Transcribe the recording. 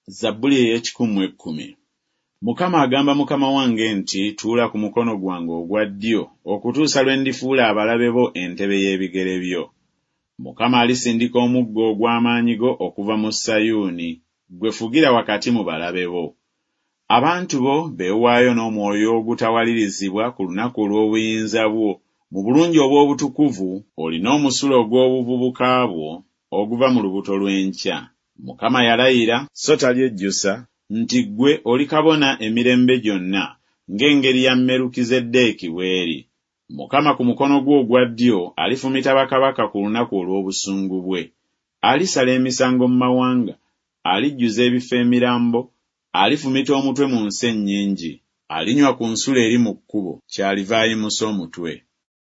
Zabbuli ey'ekikumu mu ekkumi. Mukama agamba Mukama wange nti Tuula ku mukono gwange ogwa ddyo okutuusa lwe ndifuula abalabe bo entebe y'ebigere byo. Mukama alisindika omuggo ogw'amaanyi go okuva mu Sayuuni, ggwe fugira wakati mu balabe bo. Abantu bo beewaayo n'omwoyo ogutawalirizibwa ku lunaku olw'obuyinza bwo, mu bulungi obw'obutukuvu, olina omusulo ogw'obuvubuka bwo oguva mu lubuto lw'enkya. Mukama yalayira, so talyejjusa, nti Ggwe oli kabona emirembe gyonna ng'engeri ya Merukizeddeeki bw'eri. Mukama ku mukono gwe ogwa ddyo alifumita bakabaka ku lunaku olw'obusungu bwe. Alisala emisango mu mawanga, alijjuza ebifo emirambo, alifumita omutwe mu nsi ennyingi. Alinywa ku nsulo eri mu kkubo, kyaliva ayimusa omutwe.